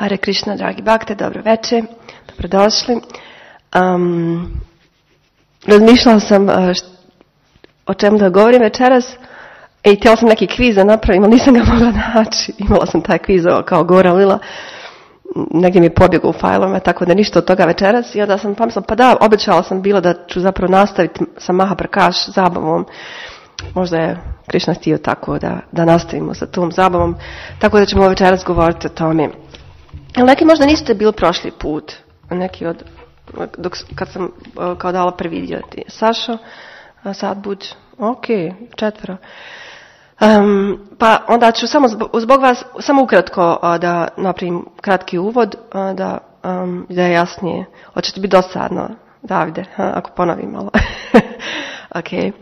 Hare Krishna, dragi bakte, dobro večer, dobrodošli. Razmišljala sam o čemu da govorim večeras i htjela sam neki kviz da napravim, ali nisam ga mogla naći. Imala sam taj kviz kao Gora Lila, negdje mi je pobjegao u fajlovima, tako da ništa od toga večeras. I onda sam pomislila, pa da, obećala sam bila da ću zapravo nastaviti sa Mahaprakash zabavom. Možda je Krishna htio tako da nastavimo sa tom zabavom, tako da ćemo večeras govoriti o tome. Neki možda niste bili prošli put, neki kad sam kao dala prvi dio. Sašo, Sadbuđ, ok, 4. Pa onda ću samo zbog vas, samo ukratko da napravim kratki uvod, da je jasnije. Hoće ti biti dosadno, Davide, ako ponovim malo. Ok.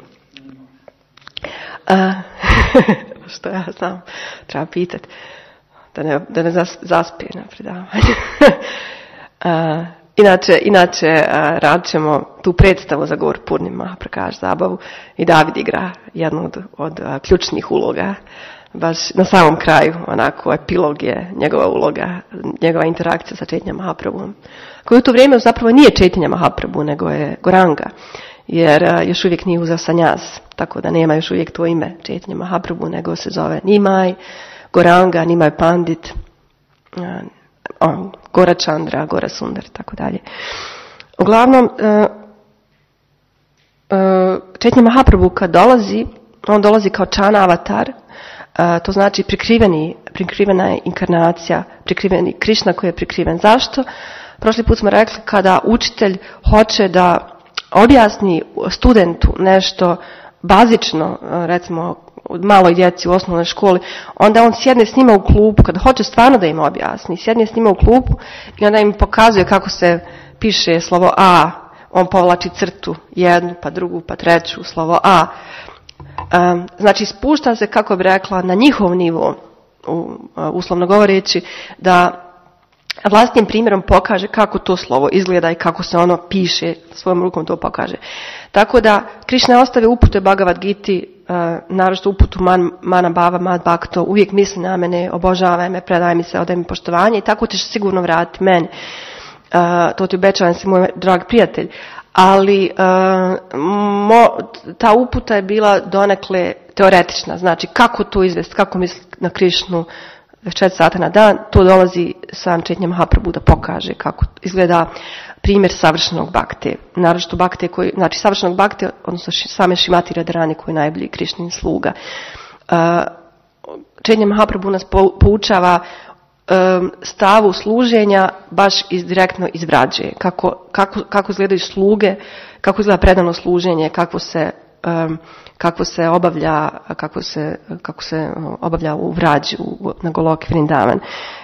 Što ja znam, treba pitati. Da ne zaspije na predavanju. Inače radit ćemo tu predstavu za Gaur Purnima, Mahaprakash zabavu i David igra jednu od ključnih uloga. Baš na samom kraju, onako, epilog je njegova uloga, njegova interakcija sa Chaitanya Mahaprabhom. Koji u to vrijeme zapravo nije Chaitanya Mahaprabhu, nego je Goranga. Jer još uvijek nije uzeo sanjas, tako da nema još uvijek to ime Chaitanya Mahaprabhu, nego se zove Nimai, Goranga, Nimai Pandit, Gora Chandra, Gora Sundar, tako dalje. Uglavnom, Chaitanya Mahaprabhu kad dolazi, on dolazi kao Chana avatar, to znači prikrivena je inkarnacija, prikriveni Krishna koji je prikriven. Zašto? Prošli put smo rekli kada učitelj hoće da objasni studentu nešto bazično, recimo maloj djeci u osnovnoj školi, onda on sjedne s njima u klupu, kada hoće stvarno da im objasni, sjedne s njima u klupu i onda im pokazuje kako se piše slovo A, on povlači crtu, jednu, pa drugu, pa treću, slovo A. Znači spušta se, kako bi rekla, na njihov nivo, uslovno govoreći, da vlastnim primjerom pokaže kako to slovo izgleda i kako se ono piše, svojom rukom to pokaže. Tako da Krishna je ostavio upute Bhagavad Giti, naročito uputu Mana Bhava Mad Bhakto, uvijek misli na mene, obožavaj me, predaj mi se, odaj mi poštovanje i tako ćeš sigurno vratiti meni. To ti obećavam si, moj drag prijatelj. Ali ta uputa je bila donekle teoretična, znači kako to izvesti, kako misliti na Krishnu 4 sata na dan, to dolazi sam Chaitanya Mahaprabhu da pokaže kako izgleda primjer savršenog bakte. Naročito bakte koji, znači savršenog bakte, odnosno same Šrimati Radharani koji je najbolji Krishnin sluga. Chaitanya Mahaprabhu nas poučava stavu služenja baš direktno iz vrađe. Kako izgledaju sluge, kako izgleda predano služenje, kako se obavlja u vrađi na Goloki Vrindavan.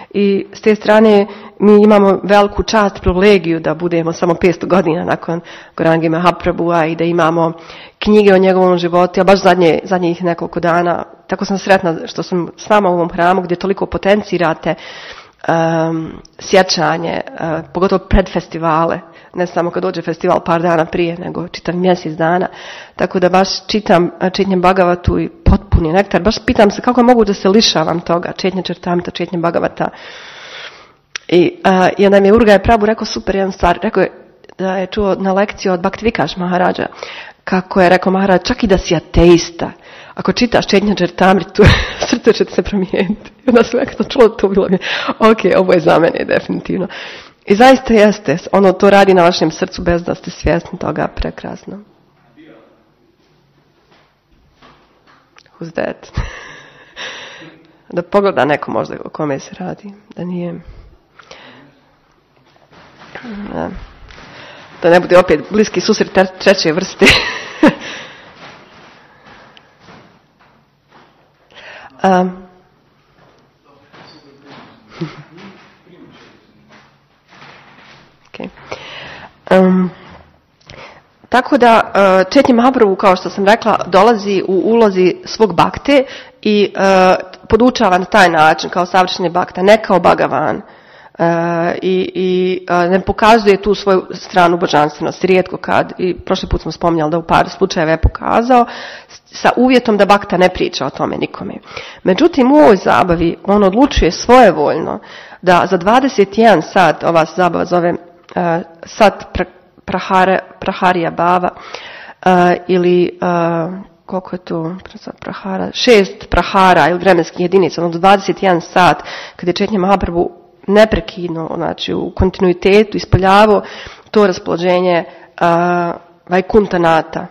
I s te strane mi imamo veliku čast, privilegiju da budemo samo 500 godina nakon Gaurangi Mahaprabhua i da imamo knjige o njegovom životu, a baš zadnjih nekoliko dana. Tako sam sretna što sam s vama u ovom hramu gdje toliko potencirate sjećanje, pogotovo pred festivale, ne samo kad dođe festival par dana prije, nego čitav mjesec dana. Tako da baš čitam Chaitanya Bhagavatu i potpuni nektar. Baš pitam se kako je mogu da se lišavam toga, Chaitanya Charitamrita, Chaitanya Bhagavata. I onda mi je Urgaya Prabhu rekao super jednu stvar, rekao je da je čuo na lekciju od Bhaktivikash Maharaja, kako je rekao Maharaj, čak i da si ateista, ako čitaš Chaitanya Charitamritu, srce će se promijeniti. I onda sam nekako čuo to, bilo mi, ok, ovo je za mene definitivno. I zaista jeste, ono to radi na vašem srcu bez da ste svjesni toga, prekrasno. Who's that? Da pogleda neko možda o kome se radi, da nije... Da ne bude opet bliski susret treće vrste. Okay. Tako da Chaitanya Mahaprabhu, kao što sam rekla, dolazi u ulozi svog bakte i podučava na taj način kao savršeni bakta, ne kao Bhagavan. I ne pokazuje tu svoju stranu božanstvenosti, rijetko kad, i prošli put smo spominjali da u par slučajeva je pokazao, sa uvjetom da bakta ne priča o tome nikome. Međutim, u ovoj zabavi on odlučuje svojevoljno da za 21 sat, ova zabava zove sat praharija bava, ili koliko je to prahara, 6 prahara ili vremenskih jedinica, ono 21 sat, kada je Chaitanya Mahaprabhu neprekidno, znači u kontinuitetu ispoljavao to raspoloženje Vajkuntanata,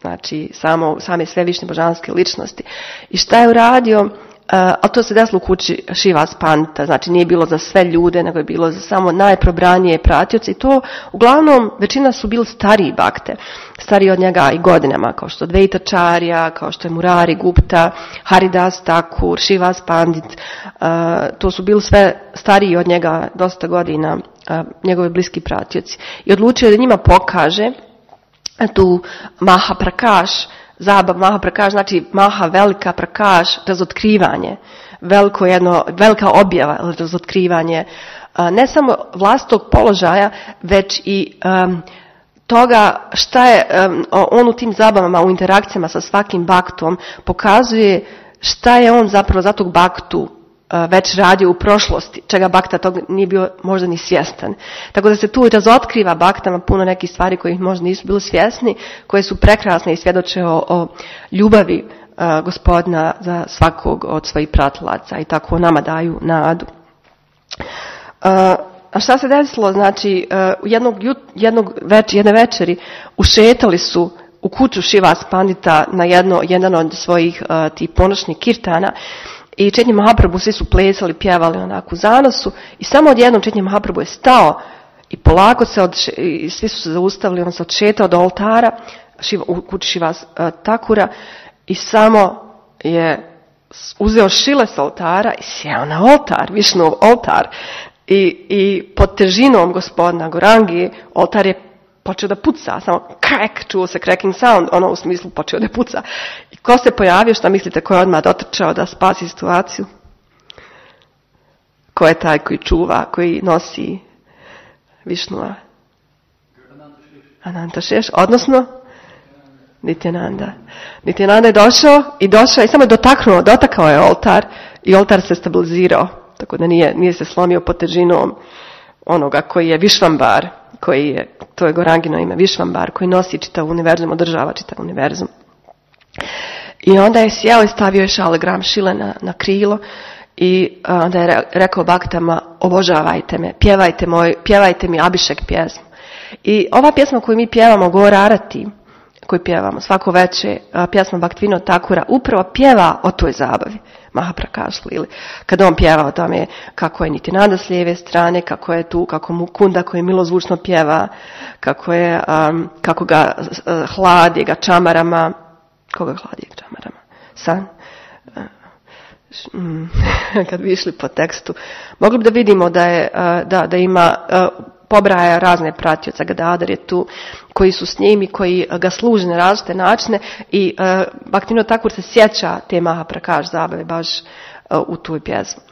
znači same svevišnje božanske ličnosti. I šta je uradio? Ali to se desilo u kući Šivas Pandita, znači nije bilo za sve ljude, nego je bilo za samo najprobranije pratioce i to uglavnom većina su bili stariji bakte, stariji od njega i godinama, kao što je Dvaitacharya, kao što je Murari Gupta, Haridas Thakur, Šivas Pandit, to su bili sve stariji od njega dosta godina, njegovi bliski pratioci. I odlučio da njima pokaže tu Mahaprakash, zabav Mahaprakash, znači Maha velika Prakash, razotkrivanje, velika objava, razotkrivanje ne samo vlastitog položaja, već i toga šta je on u tim zabavama, u interakcijama sa svakim baktom pokazuje šta je on zapravo za tog baktu već radio u prošlosti, čega bakta tog nije bio možda ni svjestan. Tako da se tu razotkriva baktama puno nekih stvari koji možda nisu bili svjesni, koje su prekrasne i svjedoče o ljubavi Gospodina za svakog od svojih pratilaca i tako nama daju nadu. A šta se desilo? Znači, jedne večeri ušetali su u kuću Šivas Pandita na jedan od svojih tih ponoćnih kirtana i Chaitanya Mahaprabhu svi su plesali, pjevali onako u zanosu i samo odjednom Chaitanya Mahaprabhu je stao i polako i svi su se zaustavili, on se odšetao do oltara u kući Šivas Thakura i samo je uzeo šile s oltara i sjeo na oltar, Višnov oltar i pod težinom gospodina Gorangi oltar je počeo da puca, samo crack, čuo se cracking sound, ono u smislu počeo da puca. I ko se pojavio, šta mislite, ko je odmah dotrčao da spasi situaciju? Ko je taj koji čuva, koji nosi Višnua? Ananta Šeš, odnosno Nityananda. Nityananda je došao i samo je dotakao je oltar i oltar se stabilizirao, tako da nije se slomio pod težinom onoga koji je Višvambar, to je Gorangino ime, Višvambar, koji nosi čitav univerzum, održava čitav univerzum. I onda je sjeo i stavio je šalegram šile na krilo i onda je rekao baktama, obožavajte me, pjevajte mi Abhišek pjesmu. I ova pjesma koju mi pjevamo, Gaur Arati, koju pjevamo svako veče, pjesma Bhaktivinoda Thakura, upravo pjeva o toj zabavi Mahaprakash Lili. Kada on pjeva o tome kako je Nityananda s lijeve strane, kako je tu, kako Mukunda koji milozvučno pjeva, kako ga hladi ga čamarama. Koga hladi ga čamarama? San? Kad bi išli po tekstu. Mogli bi da vidimo da ima pobraja razne pratioca, Gadadhar je tu, koji su s njim i koji ga služe na različite načine i Bhaktivinoda Thakur se sjeća te Mahaprakash zabave baš u toj pjesmi.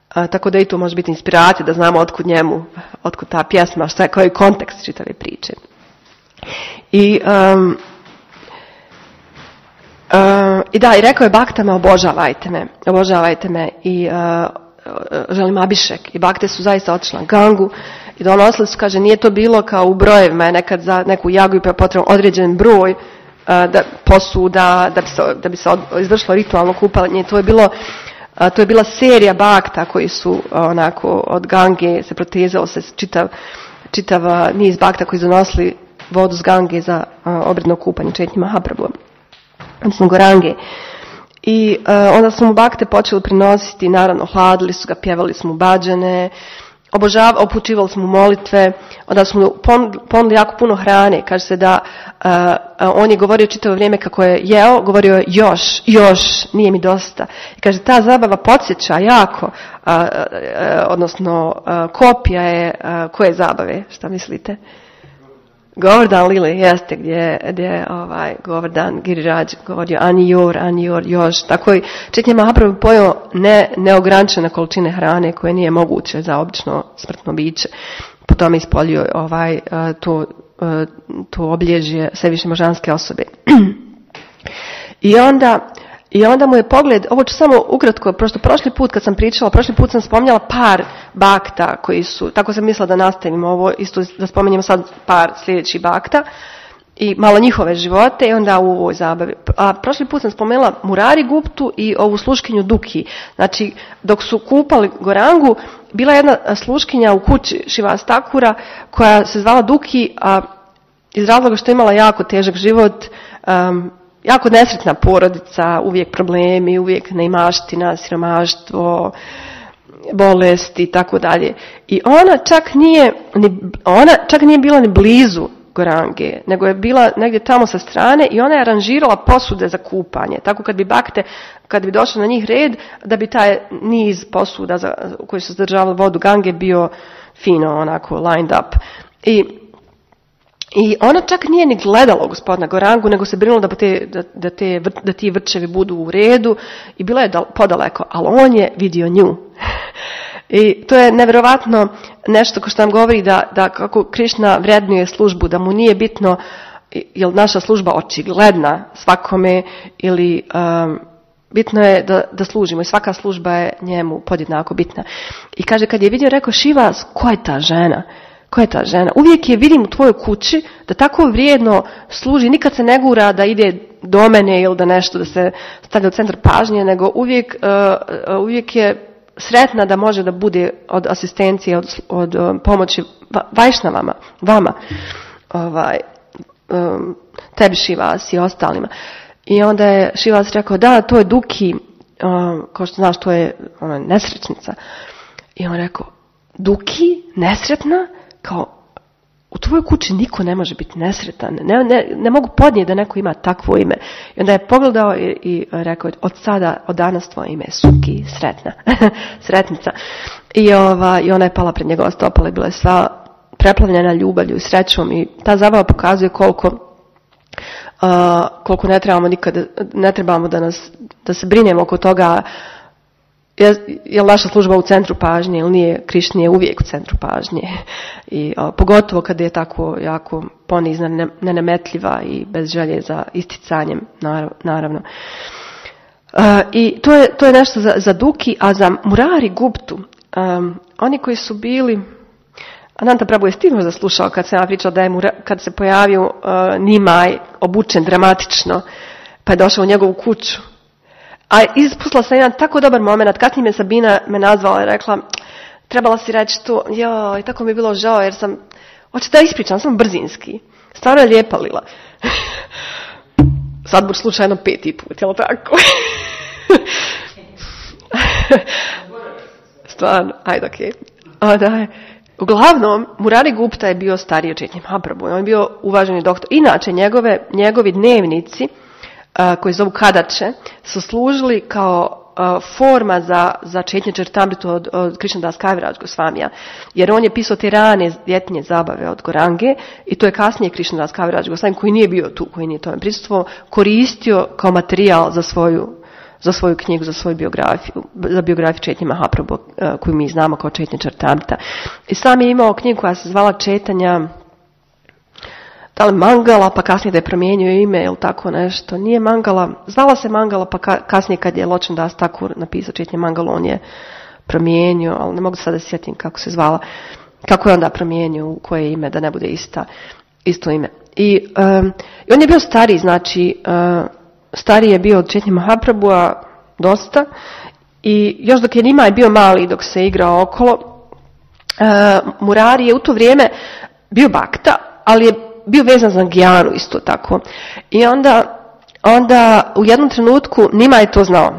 Tako da i tu može biti inspiracija da znamo otkud ta pjesma, koji je kontekst čitave priče. I i rekao je baktama, obožavajte me i želim Abhišek. I bakte su zaista otišli na Gangu i donosili su, kaže, nije to bilo kao u brojevima, je nekad za neku jagu i potreban određen broj posuda da bi se izvršilo ritualno kupanje. To je bila serija bakta koji su onako od Gange se protezalo se čitav niz bakta koji su donosili vodu s Gange za obredno kupanje Chaitanya Mahaprabhu, odnosno Gorange. I onda su mu bakte počeli prinositi, naravno hladili su ga, pjevali su mu bhađane, upućivali smo molitve, onda smo ponudili jako puno hrane. Kaže se da on je govorio čitavo vrijeme kako je jeo, govorio je još, nije mi dosta. I kaže, ta zabava podsjeća jako, odnosno kopija je koje zabave, šta mislite? Govardhan Lili, jeste, gdje je Govardhan Giriraj govorio Anjor, još. Tako i Chaitanya Mahaprabhu pojeo neograničene količine hrane koje nije moguće za obično smrtno biće. Potom je ispolio to obilježje svevišnje božanske osobe. I onda I onda mu je pogled, ovo ću samo ukratko, prošli put kad sam pričala, prošli put sam spominjala par bakta koji su, tako sam mislila da nastavimo ovo, isto da spominjemo sad par sljedećih bakta i malo njihove živote i onda u ovoj zabavi. A prošli put sam spomenula Murari Guptu i ovu sluškinju Duki. Znači, dok su kupali Gorangu, bila jedna sluškinja u kući Šivas Takura koja se zvala Duki, a iz razloga što je imala jako težak život, jako nesretna porodica, uvijek problemi, uvijek neimaština, siromaštvo, bolesti i tako dalje. I ona čak nije bila ni blizu Gorange, nego je bila negdje tamo sa strane i ona je aranžirala posude za kupanje. Tako kad bi došlo na njih red, da bi taj niz posuda u koji su zadržavali vodu Gange bio fino, onako lined up. I ona čak nije ni gledala gospodina Gorangu, nego se brinula da ti vrčevi budu u redu i bila je podaleko, ali on je vidio nju. I to je nevjerovatno nešto što nam govori da kako Krišna vrednuje službu, da mu nije bitno je li naša služba očigledna svakome ili bitno je da služimo i svaka služba je njemu podjednako bitna. I kaže, kad je vidio, rekao, Šivas, ko je ta žena? Ko je ta žena? Uvijek je vidim u tvojoj kući da tako vrijedno služi, nikad se ne gura da ide do mene ili da nešto da se stavlja u centar pažnje, nego uvijek je sretna da može da bude od asistencije, od pomoći Vajšnavama, vama, tebi Šivas i ostalima. I onda je Šivas rekao, da, to je Duki, kao što znaš, to je ona nesrećnica. I on rekao, Duki, nesretna? Kao, u tvojoj kući niko ne može biti nesretan. Ne mogu podnijeti da neko ima takvo ime. I onda je pogledao i rekao, od danas tvoje ime je Suki, sretna. Sretnica. I ona je pala pred njegova stopala i bila je sva preplavljena ljubavlju i srećom. I ta zabava pokazuje koliko ne trebamo da se brinemo oko toga je li naša služba u centru pažnje ili nije. Krišna je uvijek u centru pažnje. I pogotovo kada je tako jako ponizna, nenametljiva i bez želje za isticanjem, naravno. I to je nešto za Duki, a za Murari Guptu, oni koji su bili, Ananta Prabhu je ti možda slušao kad sam ja pričala da je kad se pojavio Nimaj obučen dramatično, pa je došao u njegovu kuću. A ispustila sam jedan tako dobar moment, kasnije me Sabina nazvala i rekla, trebala si reći to, i tako mi je bilo žao jer hoće da ispričam, sam brzinski. Stvarno je lijepa lila. Sad budu slučajno 5. put, jel tako? Stvarno, ajde, okej. Okay. Uglavnom, Murari Gupta je bio stariji od Chaitanya Mahaprabhu, on je bio uvaženi doktor. Inače, njegovi dnevnici, koji zovu Kadače, su služili kao forma za Chaitanya Charitamritu od Krishnadas Kaviraj Gosvamija. Jer on je pisao te rane ljetnje zabave od Gorange i to je kasnije Krishnadas Kaviraj Gosvami, koji nije bio tu, koji nije tome prisustvovao, koristio kao materijal za svoju knjigu, za svoju biografiju, za biografiju Chaitanya Mahaprabhu, koju mi znamo kao Chaitanya Charitamrita. I sam je imao knjigu koja se zvala Chaitanya, da li Mangala, pa kasnije da je promijenio ime ili tako nešto. Nije Mangala, zvala se Mangala, pa kasnije kad je Ločan Das Thakur napisao Chaitanya Mangalu, on je promijenio, ali ne mogu sada da sjetim kako se zvala, kako je onda promijenio, u koje ime, da ne bude isto ime. I on je bio stariji, znači, stariji je bio od Chaitanya Mahaprabhua dosta i još dok je Nimaj bio mali, dok se igrao okolo, Murari je u to vrijeme bio bakta, ali je bio vezan za Gijanu isto tako. I onda u jednom trenutku Nimaj je to znao.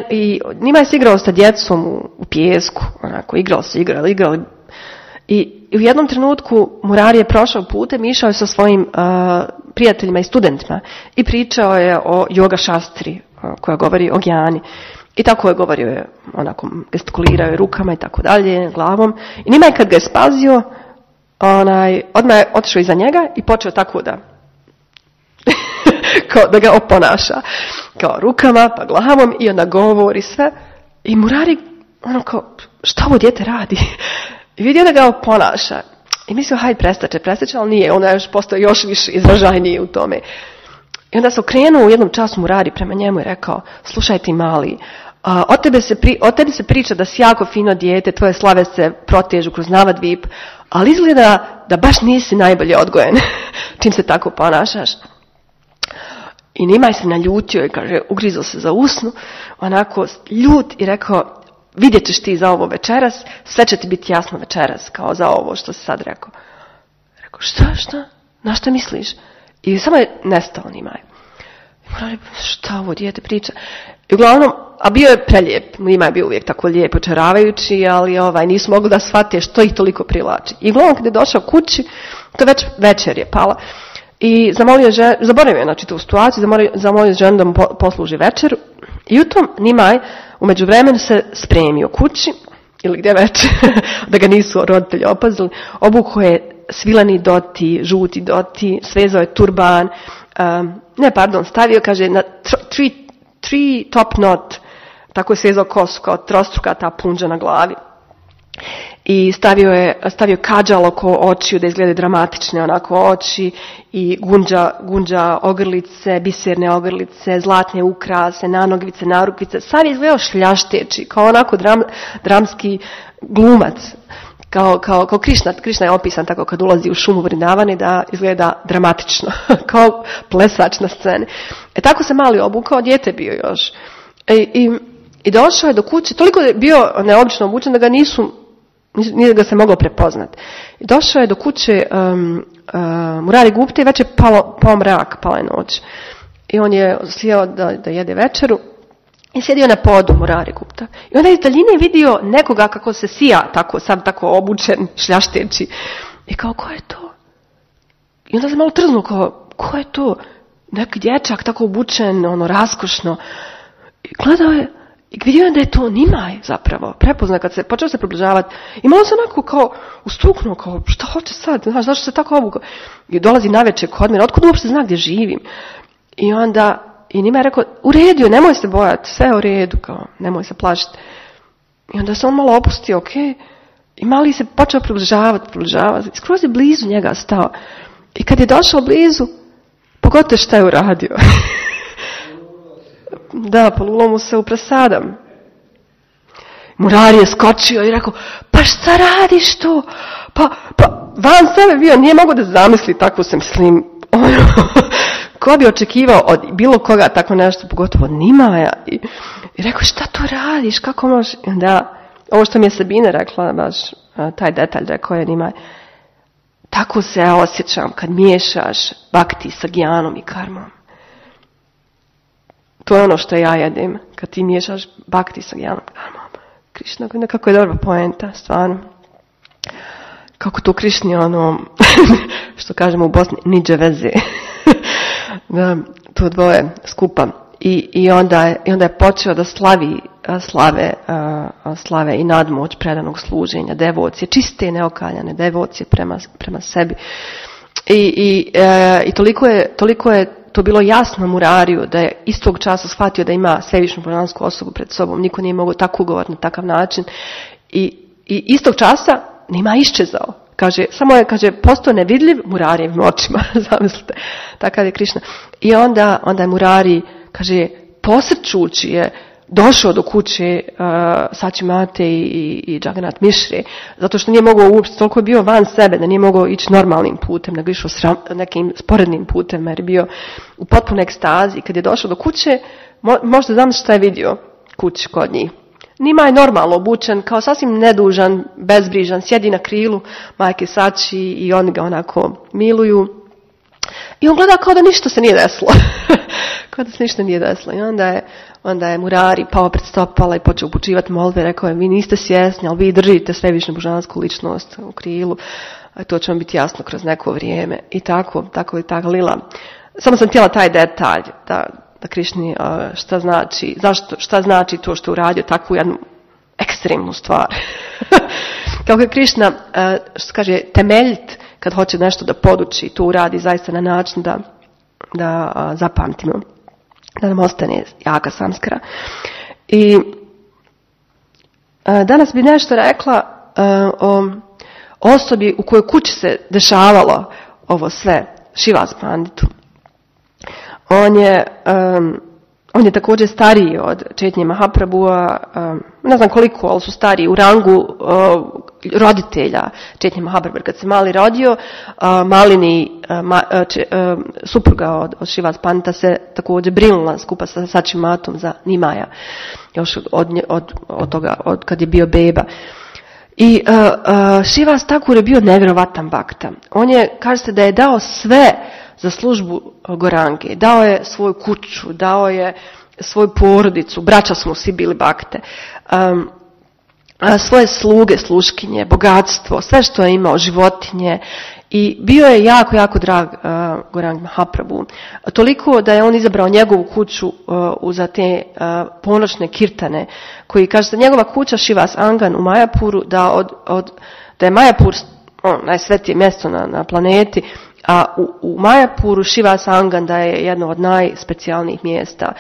I Nimaj se igrao sa djecom u pijesku, onako, igrali. I u jednom trenutku Murari je prošao putem, išao je sa svojim prijateljima i studentima i pričao je o yoga šastri koja govori o Gijani. I tako je govorio, onako, gestikulirao je rukama i tako dalje, glavom. I Nimaj kad ga je spazio, odmah je otišao iza njega i počeo tako da ga oponaša. Kao rukama, pa glavom i onda govori sve. I Murari, kao, što ovo dijete radi? I vidio da ga oponaša. I mislio, hajde, prestaće, ali nije. Ona je postao još više izražajniji u tome. I onda se okrenuo u jednom času Murari prema njemu i rekao, slušaj ti mali, o tebi se priča da si jako fino dijete, tvoje slave se protežu kroz Navadvip, ali izgleda da baš nisi najbolje odgojen čim se tako ponašaš. I Nimaj se naljutio i kaže, ugrizao se za usnu, onako ljut i rekao, vidjet ćeš ti za ovo večeras, sve će ti biti jasno večeras, kao za ovo što si sad rekao. Rekao, šta? Na šta misliš? I samo je nestao Nimaj. I Murari, šta ovo dijete priča? I uglavnom, a bio je prelijep, Nimaj je bio uvijek tako lijep, očaravajući, ali nisu mogli da shvate što ih toliko privlači. I uglavnom kad je došao kući, to već večer je pala, i zaboravio je znači tu situaciju, zamolio ženu da mu posluži večeru. I u tom Nimaj u međuvremenu se spremio kući, ili gdje već, da ga nisu roditelji opazili, obukao je svileni doti, žuti doti, svezao je turban, stavio, kaže, na three top knot, tako je svezao kosu, kao trostruka ta punđa na glavi. I stavio kadžal oko očiju da izgleda dramatične onako oči i gunđa ogrlice, biserne ogrlice, zlatne ukrase, nanogvice, narukvice. Sav je izgledao šljašteći, kao onako dramski glumac. Kao Krišna je opisan tako kad ulazi u šumu Vrindavane da izgleda dramatično, kao plesač na sceni. Tako se mali obukao, dijete bio još. I došao je do kuće, toliko je bio neobično obučen da ga nije ga se moglo prepoznati. I došao je do kuće Murari Gupte i već je pao mrak, pala je noć. I on je sjeo da jede večeru i sjedio na podu Murari Gupta. I onda je iz daljine vidio nekoga kako se sija, sad tako obučen, šljašteći. I kao, ko je to? I onda se malo trznuo, kao, ko je to? Neki dječak tako obučen, raskošno. I gledao je, i vidio je da je to Nimaj zapravo, prepozna kad se počeo se približavati. I malo se onako kao ustuknuo, kao šta hoće sad, znaš, zašto se tako obukao? I dolazi navečer kod mene, otkud uopšte zna gdje živim? I onda, i Nimaj je rekao, u redu, nemoj se bojati, sve je u redu, kao, nemoj se plašiti. I onda se on malo opustio, i mali se počeo približavati, skroz je blizu njega stao. I kad je došao blizu, pogotovo šta je uradio. Da, polulao mu se u presadam. Murari je skočio i rekao, pa šta radiš to? Pa van sebe bio, nije mogao da zamisli takvu se mislim. Ko bi očekivao od bilo koga tako nešto, pogotovo od Nimaja. I rekao, šta to radiš, kako možeš? Da, ovo što mi je Sabina rekla, baš taj detalj, rekao je Nimaj. Tako se ja osjećam kad miješaš bhakti sa gjanom i karmom. To je ono što ja jedem, kad ti miješaš bhakti sa gjanom i karmom. Krišna, nekako je dobra poenta, stvarno. Kako to Krišni, što kažemo u Bosni, niđe veze. Da, to dvoje skupa. I onda je počeo da slave i nadmoć predanog služenja, devocije, čiste neokaljane devocije prema sebi. I toliko je to bilo jasno Murariju da je istog časa shvatio da ima svevišnju božansku osobu pred sobom. Niko nije mogao tako ugovoriti na takav način. I istog časa Nima iščezao. Samo je postao nevidljiv Murarijevim očima. Zamislite, takav je Krišna. I onda je Murari, posrčući je došao do kuće Sačimate i Jagannath Mishre, zato što nije mogao uopšte, toliko je bio van sebe da nije mogao ići normalnim putem, nego išao nekim sporednim putem, jer je bio u potpunoj ekstazi. I kad je došao do kuće, možete zamisliti šta je vidio kući kod njih. Nima je normalno obučen, kao sasvim nedužan, bezbrižan, sjedi na krilu majke Sači i oni ga onako miluju. I on gleda kao da ništa se nije desilo. Kao da se ništa nije desilo. I onda je Murari pao pred stopala i počeo upućivati molbe. Rekao je, vi niste svjesni, ali vi držite svevišnju božansku ličnost u krilu. A to će vam biti jasno kroz neko vrijeme. I tako lila. Samo sam htjela taj detalj da Krišni šta znači to što uradio takvu jednu ekstremnu stvar. Kako je Krišna, što kaže, temeljit kad hoće nešto da poduči, to uradi zaista na način da zapamtimo, da nam ostane jaka samskara. I danas bi nešto rekla o osobi u kojoj kući se dešavalo ovo sve, Šivas Panditu. On je također stariji od Chaitanya Mahaprabhua, ne znam koliko, ali su stariji u rangu roditelja Chaitanya Mahaprabhua. Kad se Mali rodio, Malini, supruga od Srivas Pandita, se također brinula skupa sa Sačimatom za Nimaja, još od kad je bio beba. I Srivas Thakur je bio nevjerovatan bakta. On je, kaže se da je dao sve za službu Gorange. Dao je svoju kuću, dao je svoju porodicu, braća smo svi bili bakte, svoje sluge, sluškinje, bogatstvo, sve što je imao, životinje. I bio je jako, jako drag Gorang Mahaprabhu. Toliko da je on izabrao njegovu kuću za te ponoćne kirtane, koji kaže da njegova kuća Srivas Angan u Majapuru, da je Majapur najsvetije mjesto na planeti, a u Majapuru Srivas Angan da je jedno od najspecijalnijih mjesta.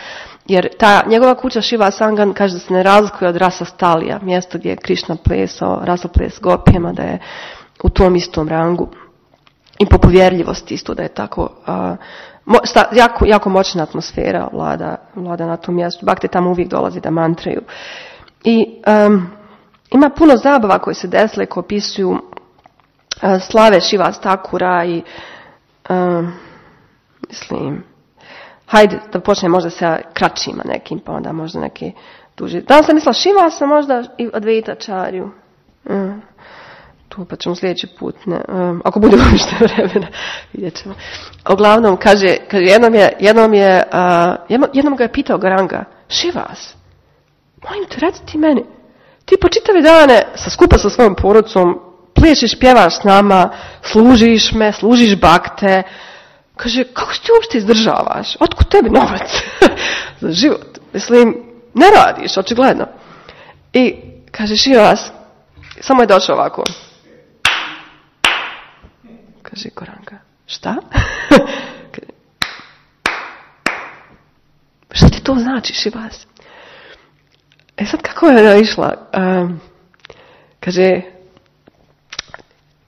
Jer ta njegova kuća Srivas Angan kaže da se ne razlikuje od Rasa Stalija, mjesto gdje je Krišna plesao, rasoples gopijama, da je u tom istom rangu. I po povjerljivosti isto da je tako, jako moćna atmosfera vlada na tom mjestu. Bakte tamo uvijek dolazi da mantraju. I ima puno zabava koje se desile, koje opisuju slave Srivas Thakura i mislim, hajde da počne možda sa kraćima nekim, pa onda možda neki duži. Danas sam mislila Srivasa možda i Advaitacharyu. Tu pa ćemo sljedeći put, ne, ako bude uopšte vremena, vidjet ćemo. Uglavnom, kaže jednom ga je pitao Goranga, Srivas, molim te, reci ti meni, ti po čitave dane skupa sa svojom porodicom plešiš, pjevaš s nama, služiš me, služiš bakte. Kaže, kako se ti uopšte izdržavaš? Otkud tebi novac za život? Mislim, ne radiš, očigledno. I kaže Srivas, samo je došao ovako. Kaže Goranga, šta? Šta ti to znači, Srivas? Sad kako je ona išla? Kaže,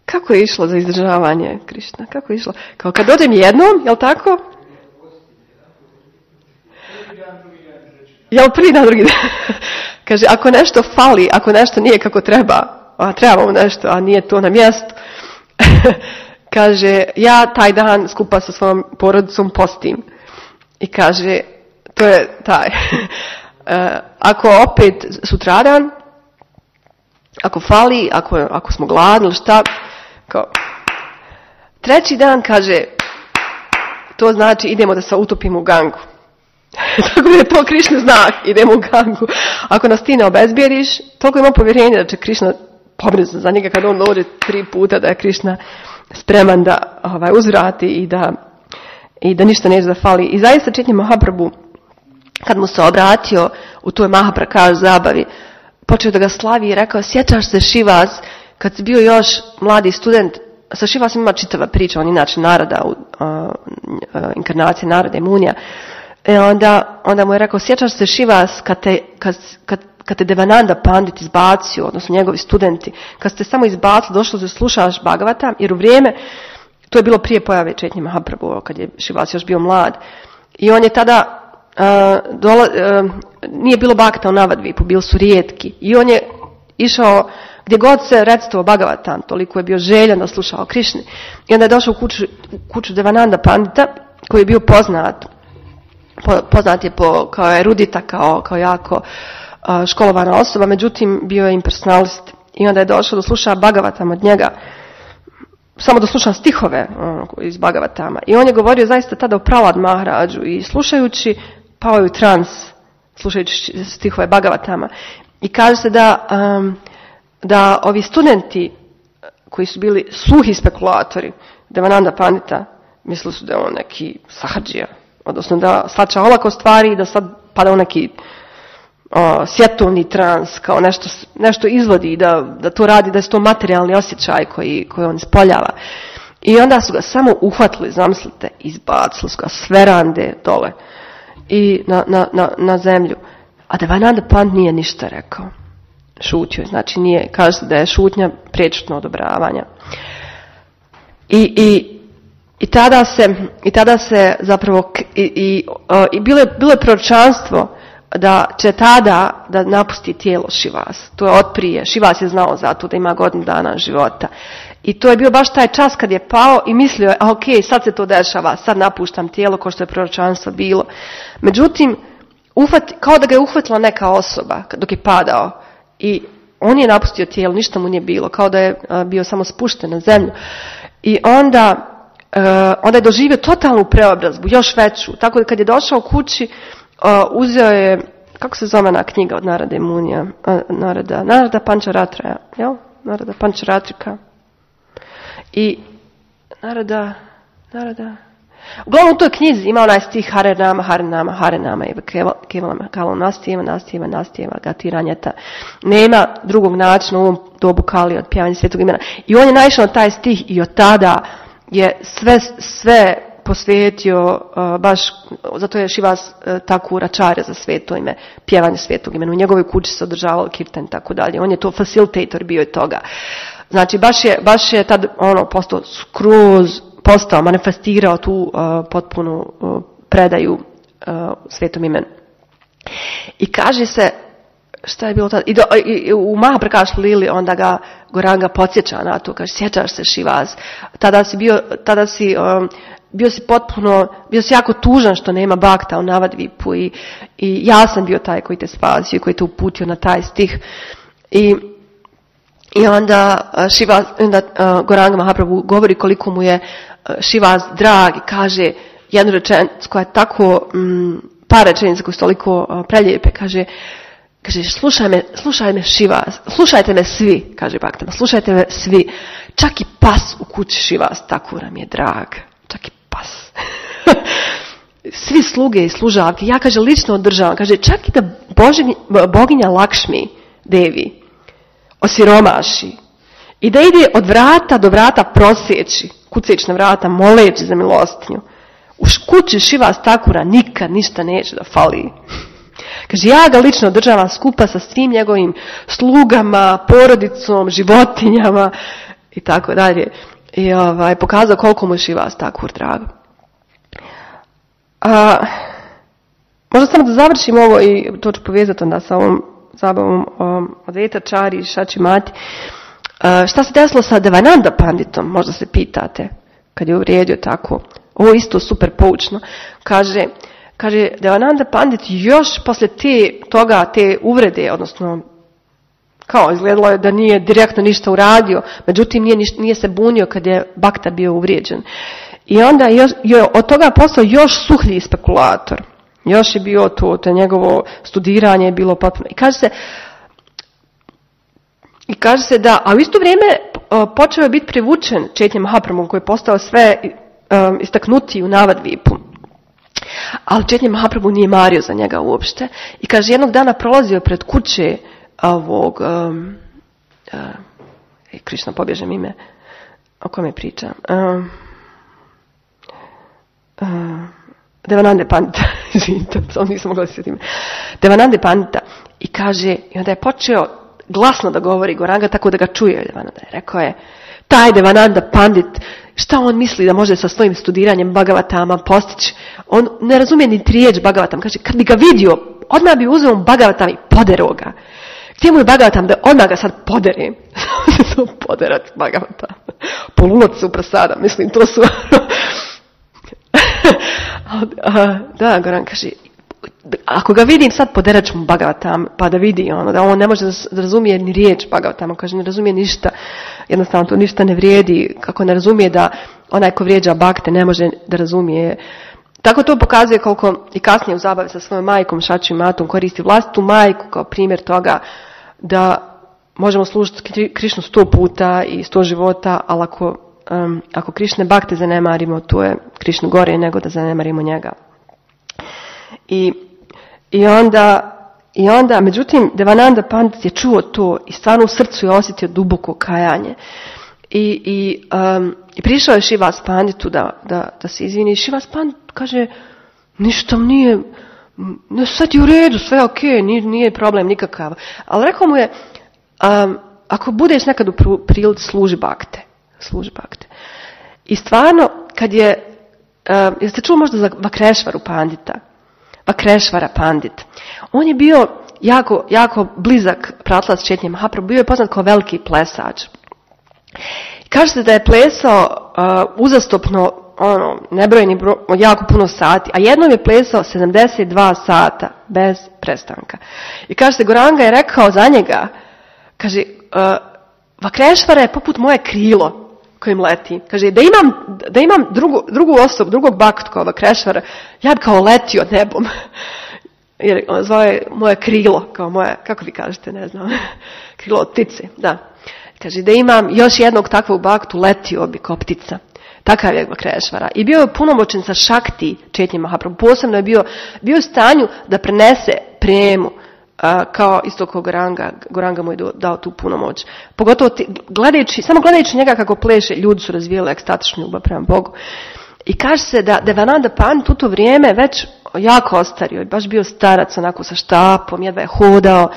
kako je išlo za izdržavanje Krišna? Kako je išlo? Kao kad dođem jednom, jel tako? Jel prvi dan, drugi dan? Kaže, ako nešto fali, ako nešto nije kako treba, a trebamo nešto, a nije to na mjestu, kaže, ja taj dan skupa sa svojom porodicom postim. I kaže, to je taj. Ako opet sutradan, ako fali, ako smo gladni ili šta, kao, treći dan, kaže, to znači idemo da se utopimo u Gangu. Tako da je to Krišna znak, idemo u Gangu. Ako nas ti ne obezbijediš, toliko ima povjerenja da će Krišna pobrinuti za njega kad on dođe 3 puta, da je Krišna spreman da uzvrati i da ništa neće da fali. I zaista Chaitanya Mahaprabhu, kad mu se obratio u toj Mahaprakaš zabavi, počeo da ga slavi i rekao, sjećaš se Srivas, kad si bio još mladi student, sa Srivasom ima čitava priča, on inače Narada, inkarnacija Narada i Munija. Onda mu je rekao, sjećaš se Srivas kad te Devananda Pandit izbacio, odnosno njegovi studenti, kad ste samo izbacili, došlo da slušaš Bhagavata, jer u vrijeme, to je bilo prije pojave Chaitanya Mahaprabhu, kad je Srivas još bio mlad. I on je tada, nije bilo bakta u Navadvipu, bili su rijetki. I on je išao, gdje god se recitovao Bhagavatam, toliko je bio željan da slušao Krišni. I onda je došao u kuću Devananda Pandita, koji je bio poznat je kao erudita, kao jako školovana osoba, međutim bio je impersonalist. I onda je došao da sluša Bhagavatam od njega, samo da sluša stihove iz Bhagavatama. I on je govorio zaista tada o Prahlad Maharadžu i slušajući, pao je u trans, slušajući stihove Bhagavatama. I kaže se da ovi studenti koji su bili suhi spekulatori Devananda Pandita, mislili su da je on neki sahadžija, odnosno da shvaća olako stvari i da sad pada u neki svjetovni trans, kao nešto izvodi, da to radi, da je to materijalni osjećaj koji on ispoljava. I onda su ga samo uhvatili, zamislite, izbacili su ga s verande dole i na zemlju. A Devananda Pandit nije ništa rekao. Šutio, znači nije, kaže se da je šutnja prečutno odobravanja. I I tada se zapravo bilo je proročanstvo da će tada da napusti tijelo Šivas. To je otprije. Šivas je znao za to da ima godinu dana života. I to je bio baš taj čas kad je pao i mislio je, sad se to dešava, sad napuštam tijelo kao što je proročanstvo bilo. Međutim, kao da ga je uhvatila neka osoba dok je padao i on je napustio tijelo, ništa mu nije bilo, kao da je bio samo spušten na zemlju. I onda je doživio totalnu preobrazbu, još veću. Tako da kad je došao kući, uzeo je, kako se zove na knjiga od Narada i Munija? Narada Pančaratraja, jel? Narada Pančaratrika. I Narada. Uglavnom u toj knjizi ima onaj stih Harenama i Kevalama Kalom Nastijeva Gatiranjeta. Nema drugog načina u ovom dobu Kali od pjevanja svetog imena. I on je naišao na taj stih i od tada je sve posvetio baš, zato je Šivas Thakur Acharya za sveto ime, pjevanje svetog imena. U njegovoj kući se održavalo kirtan i tako dalje. On je to facilitator bio i toga. Znači baš je tad postao, manifestirao tu potpunu predaju svetom imenu. I kaže se, šta je bilo tada? I u Mahaprakash Lili onda ga Goranga podsjeća na to, kaže, sjećaš se Šivas, bio si jako tužan što nema bakta u Navadvipu i ja sam bio taj koji te spasio i koji te uputio na taj stih. I onda Goranga Mahaprabhu govori koliko mu je Šivas drag i kaže jednu rečenicu koja je tako, par rečenica koje su toliko prelijepe, kaže slušaj me Šivas, slušajte me svi, kaže Bhaktama, slušajte me svi, čak i pas u kući Šivas Thakura mi je drag, čak i pas. Svi sluge i služavke, ja kaže lično održavam, kaže čak i da boginja Lakšmi Devi osiromaši i da ide od vrata do vrata proseći, kucajući na vrata, moleći za milostinju. U kući Šivas Thakura nikad ništa neće da fali. Kaže, ja ga lično održavam skupa sa svim njegovim slugama, porodicom, životinjama i tako dalje. I pokazao koliko mu je Šivas Thakur drag. Možda samo da završim ovo i to ću povezati onda sa ovom zabavom Advaita Čari i Šači Mati. Šta se desilo sa Devananda Panditom, možda se pitate, kad je uvrijedio tako. Ovo je isto super poučno. Kaže Devananda Pandit još poslije te uvrede, odnosno kao izgledalo je da nije direktno ništa uradio, međutim nije se bunio kad je Bhakta bio uvrijeđen. I onda je od toga postao još suhlji spekulator. Još je bio to njegovo studiranje je bilo potpuno. I kaže se da, a u isto vrijeme počeo je biti privučen Chaitanya Mahaprabhu koji je postao sve istaknutiji u Navadvipu. Ali Chaitanya Mahaprabhu nije mario za njega uopšte. I kaže, jednog dana prolazio pred kuće ovog Krišna, pobježem ime, o kome pričam. Devanande Pandita, samo nisam mogla se sjetiti. Devanande Pandita. I kaže, i onda je počeo glasno da govori Goranga tako da ga čuje Devananda. Rekao je, taj Devananda Pandit, šta on misli da može sa svojim studiranjem Bhagavatama postići? On ne razumije ni riječ Bhagavatam. Kaže, kad bi ga vidio, odmah bi uzeo Bhagavatam i poderao ga. Gdje mu je Bhagavatam da odmah ga sad podere? To poderati Bhagavatam. Polunac su prasada, mislim, to su... Da, Goran kaže, ako ga vidim sad poderat ću mu Bhagavatam, pa da vidi da on ne može da razumije ni riječ Bhagavatama, kaže ne razumije ništa, jednostavno to ništa ne vrijedi, kako ne razumije da onaj ko vrijeđa Bhakte ne može da razumije. Tako to pokazuje koliko i kasnije u zabavi sa svojom majkom Šači Matom koristi vlastitu majku kao primjer toga da možemo služiti Krišnu 100 puta i 100 života, ali ako Krišne Bhakte zanemarimo, to je Krišnu gore nego da zanemarimo njega. I onda, međutim, Devananda Pandit je čuo to i stvarno u srcu je osjetio duboko kajanje. I prišao je Šivas Panditu da se izvini. Šivas Pandit kaže, ništa nije, sad je u redu, sve je okej, nije problem nikakav. Ali rekao mu je, ako budeš nekad u prilici služi Bhakte. I stvarno, kad je, jeste čuli možda za Vakrešvaru Pandita? Vakrešvara Pandit. On je bio jako, jako blizak pratilac Chaitanya Mahaprabhu, bio je poznat kao veliki plesač. Kaže se da je plesao uzastopno nebrojeni jako puno sati, a jednom je plesao 72 sata bez prestanka. I kaže se, Goranga je rekao za njega, kaže, Vakrešvara je poput moje krilo kojim leti. Kaže, da imam drugu osobu, drugog baktu kao Vakrešvara, ja bi kao letio nebom. Jer on zove moje krilo, kao moje, kako vi kažete, ne znam, krilo od ptice, da. Kaže, da imam još jednog takvog baktu, letio bi kao ptica. Takav je Vakrešvara. I bio je punomoćen sa šakti Chaitanya Mahaprabhu. Posebno je bio u stanju da prenese premu, kao isto kao Goranga. Goranga mu je dao tu punomoć. Pogotovo samo gledajući njega kako pleše, ljudi su razvijali ekstatičnu ljubav prema Bogu. I kaže se da Devananda Pandit u to vrijeme već jako ostario. Baš bio starac onako sa štapom, jedva je hodao.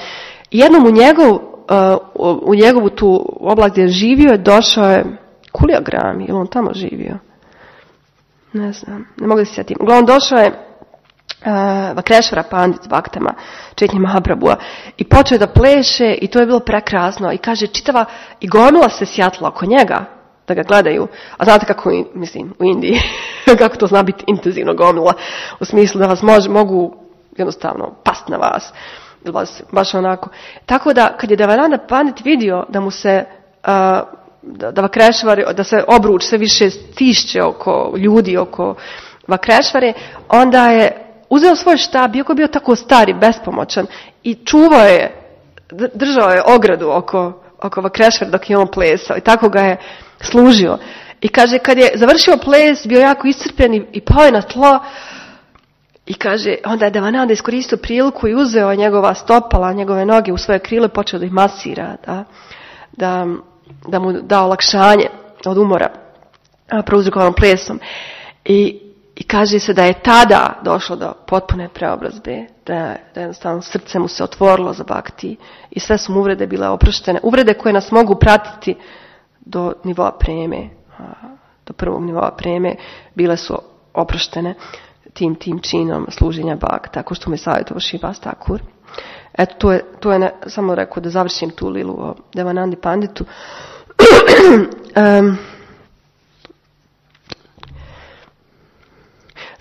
I jednom u njegovu tu oblast gdje je živio, došao je Kuliagrami, ili on tamo živio? Ne znam, ne mogu da se sjetim. Uglavnom došao je Vakrešvara Pandit s baktama Chaitanya Mahaprabhua i počeo da pleše i to je bilo prekrasno. I kaže, čitava i gomila se sjatla oko njega da ga gledaju. A znate kako, mislim, u Indiji, kako to zna biti intenzivno gomila, u smislu da vas mogu jednostavno past na vas. Baš onako. Tako da, kad je Devananda Pandit vidio da mu se da Vakrešvari, da se obruč sve više stišće oko ljudi, oko Vakrešvare, onda je uzeo svoj štab, iako bio tako star i bespomoćan, i čuvao je, držao je ogradu oko Vakrešvare dok je on plesao i tako ga je služio. I kaže, kad je završio ples, bio jako iscrpljen i pao je na tlo. I kaže, onda je Devananda iskoristio priliku i uzeo njegova stopala, njegove noge u svoje krile, počeo da ih masira, da mu da olakšanje od umora prouzrokovanom plesom. I kaže se da je tada došlo do potpune preobrazbe, da jednostavno srce mu se otvorilo za bhakti i sve su mu uvrede bile oproštene. Uvrede koje nas mogu pratiti do nivoa preme, do prvog nivoa preme, bile su oproštene tim činom služenja bhakti, tako što me savjetovao Srivas Thakur. Eto, to je samo rekao da završim tu lilu o Devanandi Panditu.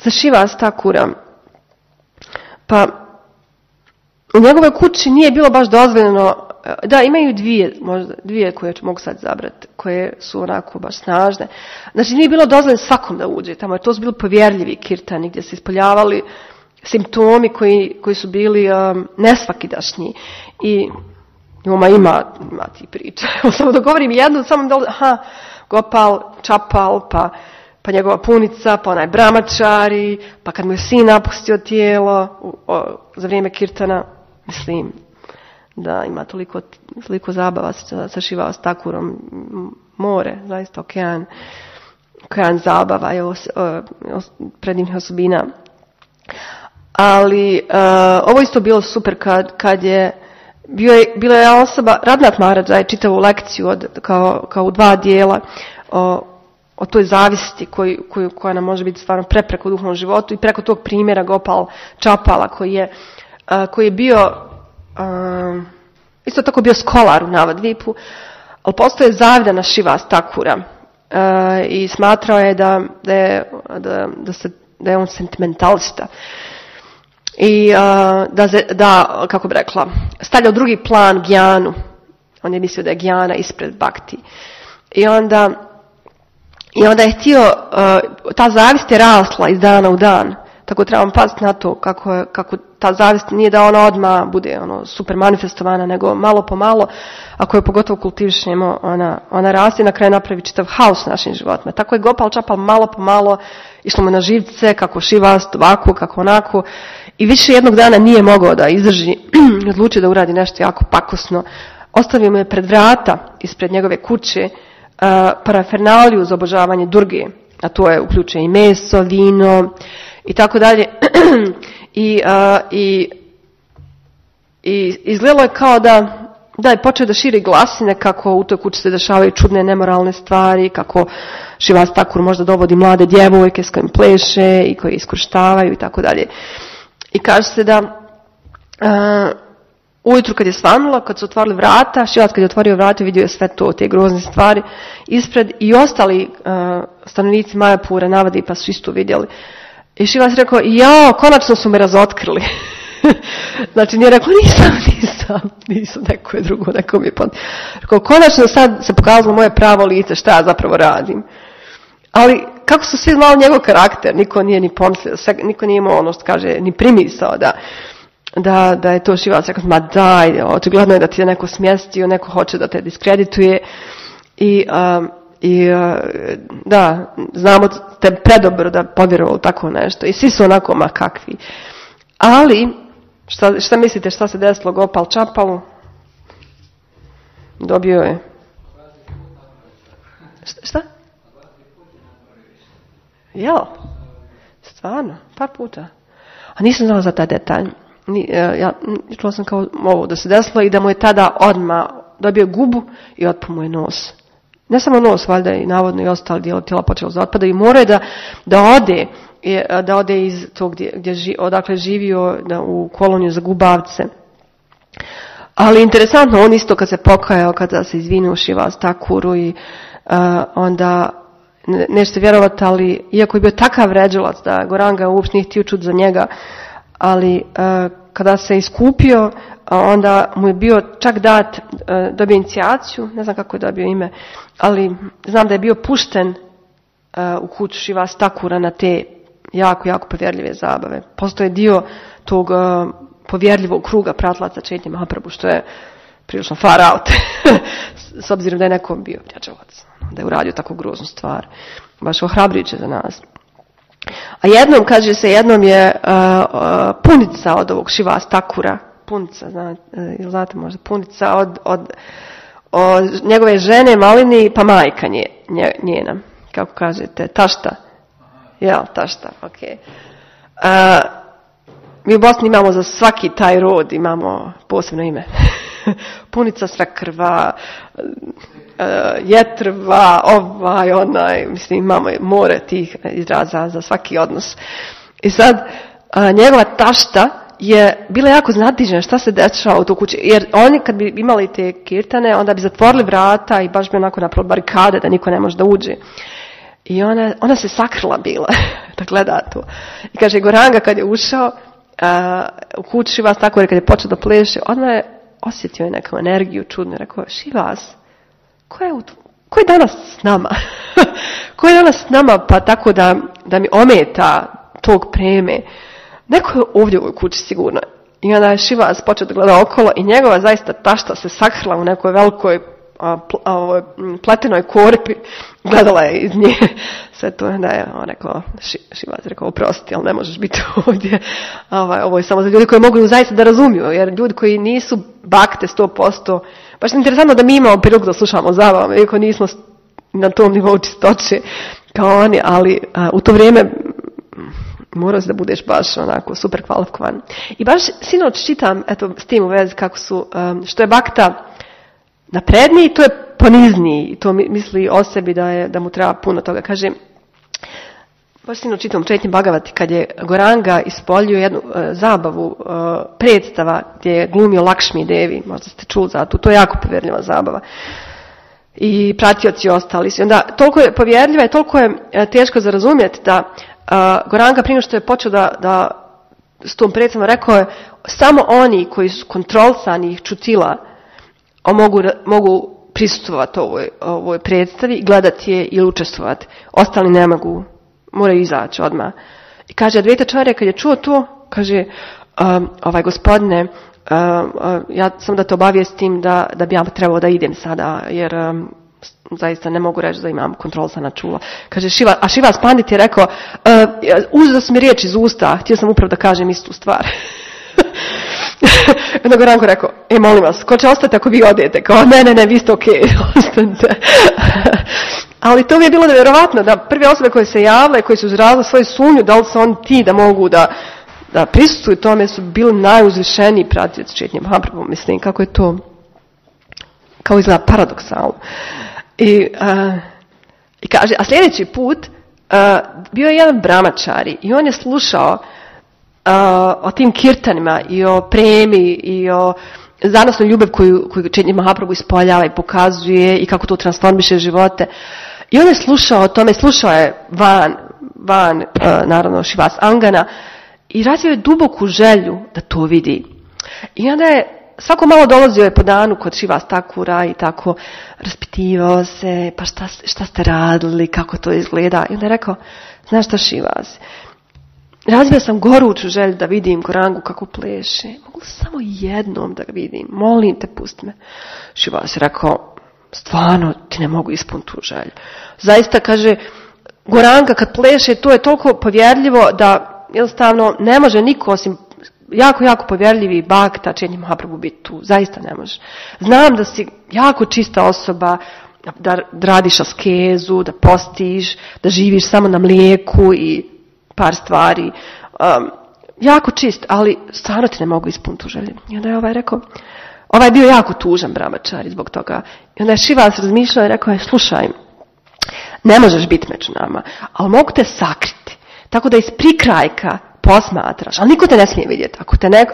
Za Srivas Thakura, pa u njegovoj kući nije bilo baš dozvoljeno, da, imaju dvije koje mogu sad zabrati, koje su onako baš snažne. Znači nije bilo dozvoljeno svakom da uđe tamo, jer to su bili povjerljivi kirtani gdje se ispoljavali simptomi koji su bili nesvakidašnji. I ima ti priča. Samo da govorim jednu, samo da Gopal, Čapal, pa njegova punica, pa onaj bramačari, pa kad mu je sin napustio tijelo za vrijeme kirtana, mislim da ima toliko zabava sa Srivas Thakurom, more, zaista okean zabava i predivnih osobina. Ali ovo isto bilo super kad je bila je osoba, Radhat Maharaj je čitavu lekciju kao u 2 dijela o toj zavisti koja nam može biti stvarno prepreka u duhovnom životu i preko tog primjera Gopal Čapala koji je bio isto tako bio skolar u Navadvipu, ali postoje zavida na Srivas Thakura i smatrao je da je on sentimentalista i da kako bi rekla, stavlja u drugi plan gjanu. On je mislio da je gjana ispred bhakti. I onda je htio, ta zavist je rasla iz dana u dan. Tako trebamo paziti na to kako ta zavist nije da ona odmah bude super manifestovana, nego malo po malo, ako je pogotovo kultivišemo, ona raste i na kraju napravi čitav haos našim životima. Tako je Gopal Čapal malo po malo išlo mu na živce, kako Srivas, ovako, kako onako. I više jednog dana nije mogao da izdrži, odlučio da uradi nešto jako pakosno. Ostavio mu je pred vrata, ispred njegove kuće, parafernaliju za obožavanje Durge, a to je uključuje i meso, vino i tako dalje. I izgledalo je kao da je počeo da širi glasine kako u toj kući se dešavaju čudne nemoralne stvari, kako Šivas Takur možda dovodi mlade djevojke s kojim pleše i koje iskorištavaju i tako dalje. I kaže se da ujutru kad je svanulo, kad su otvorili vrata, Šivas kad je otvorio vrata vidio je sve to, te grozne stvari ispred i ostali stanovnici Majapura navadi pa su isto vidjeli. I Šivas rekao, jao, konačno su me razotkrili. Znači nije rekao, nisam, neko je drugo, neko mi je rekao, konačno sad se pokazalo moje pravo lice, šta ja zapravo radim. Ali kako su svi znali njegov karakter, niko nije ni pomislio, niko nije imao ono što kaže, ni primisao da je to Šivas rekao, ma daj, očigledno je da ti je neko smjestio, neko hoće da te diskredituje i da, znamo te predobro da povjerovali tako nešto i svi su onako ma kakvi. Ali, šta mislite šta se desilo Gopal Čapalu? Dobio je. Šta? Jel? Stvarno? Par puta. A nisam znala za taj detalj. Ja čula sam kao ovo da se desilo i da mu je tada odmah dobio gubu i otpao mu je nos. Ne samo nos, valjda i navodno i ostali dijelo tijela počelo da otpada i mora da ode iz tog odakle živio u koloniju za gubavce. Ali interesantno, on isto kad se pokajao, kada se izvinio Šivas Takuru i onda nećete vjerovati, ali iako je bio takav vređalac da Goranga uopšte nije htio čuti za njega, ali kada se iskupio, onda mu je bio čak dobio inicijaciju, ne znam kako je dobio ime, ali znam da je bio pušten u kuću Šivas Takura na te jako, jako povjerljive zabave. Postoje dio tog povjerljivog kruga pratlaca Čaitanje Mahaprabhu, što je prilično far out, s obzirom da je neko bio vređalac, da je uradio tako groznu stvar. Baš ohrabrujuće za nas. A jednom je punica od ovog Šivas Takura, punica, znate možda, punica od njegove žene Malini, pa majka njena, kako kažete, tašta. Ja, tašta, ok. Mi u Bosni imamo za svaki taj rod, imamo posebno ime. Punica Svekrva, Jetrva, onaj, mislim imamo more tih izraza za svaki odnos. I sad, njegova tašta je bila jako znatižena šta se dešava u tu kući, jer oni kad bi imali te kirtane, onda bi zatvorili vrata i baš bi onako napravili barikade da niko ne može da uđe. I ona se sakrila bila da gleda to. I kaže, Goranga kad je ušao u kuću Šivas Takura, kad je počeo da pleše, odmah je osjetio neku energiju čudnu. Rekao, Šivas, ko je danas s nama? Ko je danas s nama pa tako da mi ometa tog preme? Neko je ovdje u ovoj kući sigurno. I onda je Šivas počeo da gleda okolo i njegova zaista tašta se sakrila u nekoj velikoj pletenoj korpi, gledala je iz nje sve to, da je on rekao, Šivas rekao, oprosti, ali ne možeš biti ovdje, ovo je samo za ljudi koji mogu zaista da razumiju, jer ljudi koji nisu bakte 100%, baš je interesantno da mi imamo priliku da slušamo zabavama, iako nismo na tom nivou čistoće kao oni, ali u to vrijeme morao si da budeš baš onako super kvalifikovan. I baš sinoć čitam, eto, s tim u vezi kako su, što je bakta napredniji, to je ponizniji i to misli o sebi da mu treba puno toga. Kaže, baš sinoć čitam Čaitanje Bhagavati kad je Goranga ispoljio jednu zabavu predstava gdje je glumio Lakšmi Devi, možda ste čuli za to, to je jako povjerljiva zabava. I pratioci ostali su. Onda toliko je povjerljiva i toliko je teško za razumjeti da Goranga prije što je počeo da s tom predstavom rekao je samo oni koji su kontrolisanih čutila mogu prisustvovati ovoj predstavi, gledati je ili učestvovati. Ostali ne mogu, moraju izaći odmah. I kaže, Advaitacharya kad je čuo to, kaže, gospodine, ja sam da te obavijestim da bi ja trebao da idem sada, jer zaista ne mogu reći da imam kontrolisana čula. Kaže, Šivas Pandit je rekao, uzeo sam mi riječ iz usta, htio sam upravo da kažem istu stvar. Onda Goranko rekao, molim vas, ko će ostati ako vi odete? Kao, ne, vi ste okej, ostanite. Ali to mi je bilo nevjerovatno, da prve osobe koje se javile, koje su izrazile svoju sumnju, da li su oni ti da mogu da prisustvuju tome, su bili najuzvišeniji pratioci Čaitanje Mahaprabhu. Mislim, kako je to, kao izgleda paradoksalno. I I kaže, a sljedeći put bio je jedan brahmačari i on je slušao o tim kirtanima i o premi i o zanosnoj ljubav koju Chaitanya Mahaprabhu ispoljava i pokazuje i kako to transformiše živote. I on je slušao o tome, slušao je van naravno Shivas Angana i razvio je duboku želju da to vidi. I onda je svako malo dolazio je po danu kod Shivas Thakura i tako raspitivao se, pa šta ste radili, kako to izgleda. I onda je rekao, znaš šta Shivas, razvio sam goruću želju da vidim Gaurangu kako pleše. Mogu samo jednom da ga vidim, molim te, pusti me. Shivas je rekao, stvarno ti ne mogu ispuniti tu želju. Zaista, kaže, Gauranga kad pleše, to je toliko povjerljivo da jednostavno ne može niko osim jako povjerljivi bakta Chaitanya Mahaprabhu biti tu. Zaista ne može. Znam da si jako čista osoba, da radiš askezu, da postiš, da živiš samo na mlijeku i par stvari. Jako čist, ali stvarno ti ne mogu ispuniti tu želju. I onda je ovaj rekao, ovaj je bio jako tužan brahmačari zbog toga. I onda je Shivas razmišljao i rekao je, slušaj, ne možeš biti među nama, ali mogu te sakriti. Tako da iz prikrajka posmatraš, ali niko te ne smije vidjeti.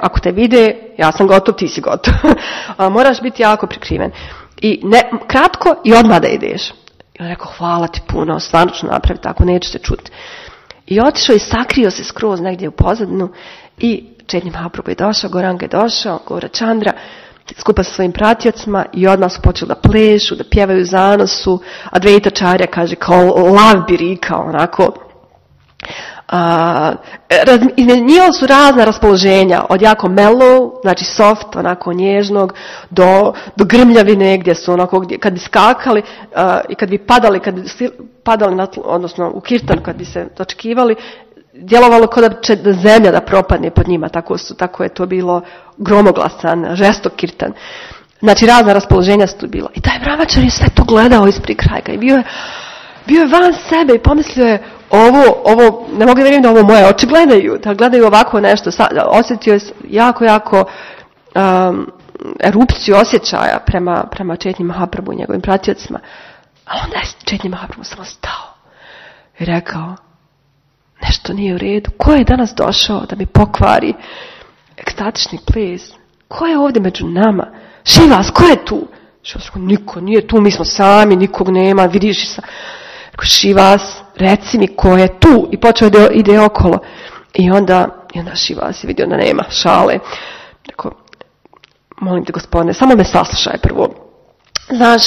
Ako te vide, ja sam gotov, ti si gotov. Moraš biti jako prikriven. I kratko i odmah da ideš. I on rekao, hvala ti puno, stvarno ću napraviti tako, neću se čuti. I otišao i sakrio se skroz negdje u pozadinu i Chaitanya Mahaprabhu je došao, Gauranga je došao, Gaurachandra, skupa sa svojim pratiocima i odmah su počeli da plešu, da pjevaju zanosu, a Advaitacharya kaže kao lav birika, onako. Izmjenjivali su razna raspoloženja, od jako mellow, znači soft, onako nježnog, do grmljavine gdje su onako, kad bi skakali i kad bi padali odnosno u kirtan, kad bi se dočekivali, djelovalo kao da će zemlja da propadne pod njima, tako je to bilo gromoglasan, žestok kirtan. Znači razna raspoloženja su tu bila. I taj brahmačar je sve to gledao iz prikrajka i bio je van sebe i pomislio je, ovo, ne mogu da vjerujem da ovo moje oči gledaju, da gledaju ovako nešto. Osjetio je jako erupciju osjećaja prema Chaitanya Mahaprabhu i njegovim pratiocima. A onda je Chaitanya Mahaprabhu samo stao i rekao, nešto nije u redu. Ko je danas došao da mi pokvari ekstatični ples? Ko je ovdje među nama? Shivas, ko je tu? Shivas rekao, niko nije tu, mi smo sami, nikog nema, vidiš sa... Shivas, reci mi ko je tu. I počeo da ide okolo. I onda Shivas je vidio da nema šale. Rekao, molim te gospodine, samo me saslušaj prvo. Znaš,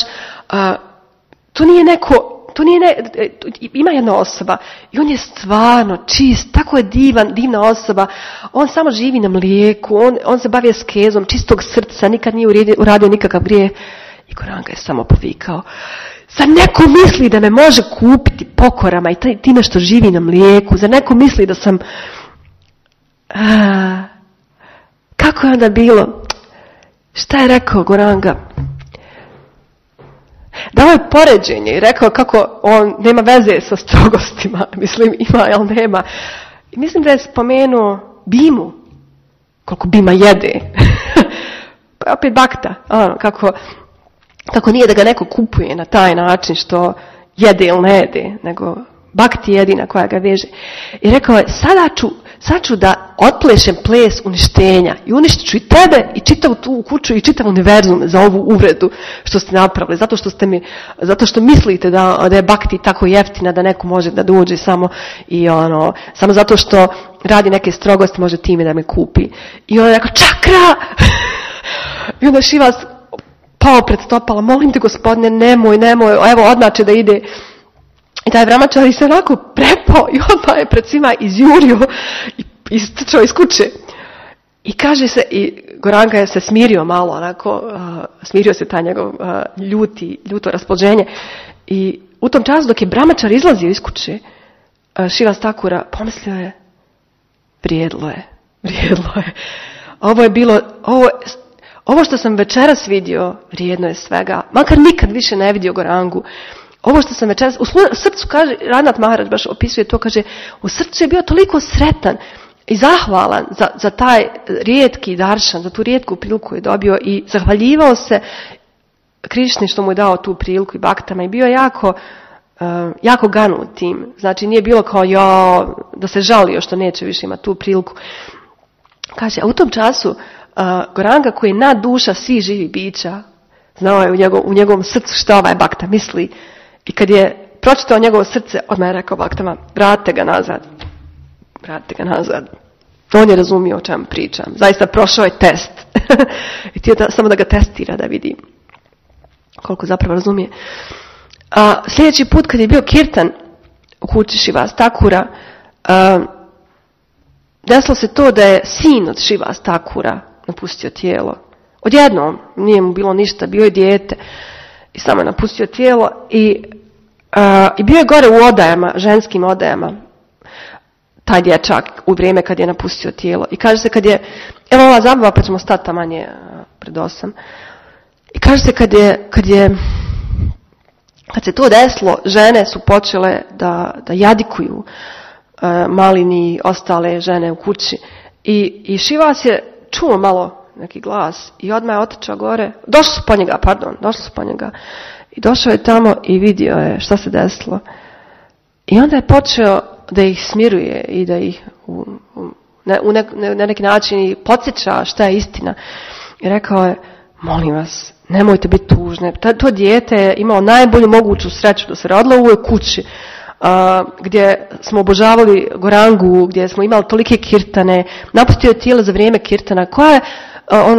ima jedna osoba i on je stvarno čist, tako je divna osoba. On samo živi na mlijeku, on se bavi askezom, čistog srca, nikad nije uradio nikakav grijeh. I Gauranga je samo povikao, zar neko misli da me može kupiti pokorama i time što živi na mlijeku? Zar neko misli da sam... Kako je onda bilo? Šta je rekao Gauranga? Dao je poređenje i rekao kako on nema veze sa strogostima. Mislim, ima, ali nema. I mislim da je spomenuo Bimu. Koliko Bima jede. Pa opet bakta. Kako nije da ga neko kupuje na taj način što jede ili ne jede, nego bakti jedina koja ga veže. I rekao je, sad ću da otplešem ples uništenja i uništit ću i tebe i čitavu tu kuću i čitav univerzum za ovu uvredu što ste napravili, zato što mislite da je bakti tako jeftina da neko može da dođe samo zato što radi neke strogosti može time da me kupi. I on je rekao, čakra! I onda Shivas pao pred stopala, molim te gospodine, nemoj, evo odmah će da ide. I taj brahmačari se onako prepao i odmah je pred svima izjurio i istrčao iz kuće. I kaže se, i Gauranga je se smirio malo, onako, smirio se taj njegov ljuto raspoloženje. I u tom času dok je brahmačar izlazio iz kuće, Shivas Thakura pomislio je, vrijedlo je. Ovo što sam večeras vidio, vrijedno je svega. Makar nikad više ne vidio Gaurangu. Ovo što sam večeras, u srcu, kaže, Ranat Maharaj baš opisuje to, kaže, u srcu je bio toliko sretan i zahvalan za taj rijetki daršan, za tu rijetku priliku koju je dobio i zahvaljivao se Krišni što mu je dao tu priliku i baktama i bio jako jako ganut tim. Znači nije bilo kao da se žalio što neće više imati tu priliku. Kaže, a u tom času Goranga koji je nad duša svih živih bića, znao je u njegovom srcu što ovaj Bakta misli. I kad je pročitao njegovo srce, odmah je rekao Baktama, vratite ga nazad. Vratite ga nazad. On je razumio o čemu pričam. Zaista prošao je test. I htio samo da ga testira, da vidi koliko zapravo razumije. A sljedeći put kad je bio kirtan u kući Šivas Takura, desilo se to da je sin od Šivas Takura napustio tijelo. Odjednom, nije mu bilo ništa, bio je dijete i samo je napustio tijelo i bio je gore u odajama, ženskim odajama, taj dječak u vrijeme kad je napustio tijelo. I kaže se kad je, evo ova zabava pa ćemo stati tamanje pred 8. I kaže se kad se to desilo, žene su počele da jadikuju Malini i ostale žene u kući. I Šivas je čuo malo neki glas i odmah je otišao gore. Došli su po njega. I došao je tamo i vidio je šta se desilo. I onda je počeo da ih smiruje i da ih na neki način podsjeća šta je istina. I rekao je, molim vas, nemojte biti tužne. To dijete je imao najbolju moguću sreću da se rodilo u ovoj kući. Gdje smo obožavali Gorangu, gdje smo imali tolike kirtane, napustio je tijelo za vrijeme kirtana, koja je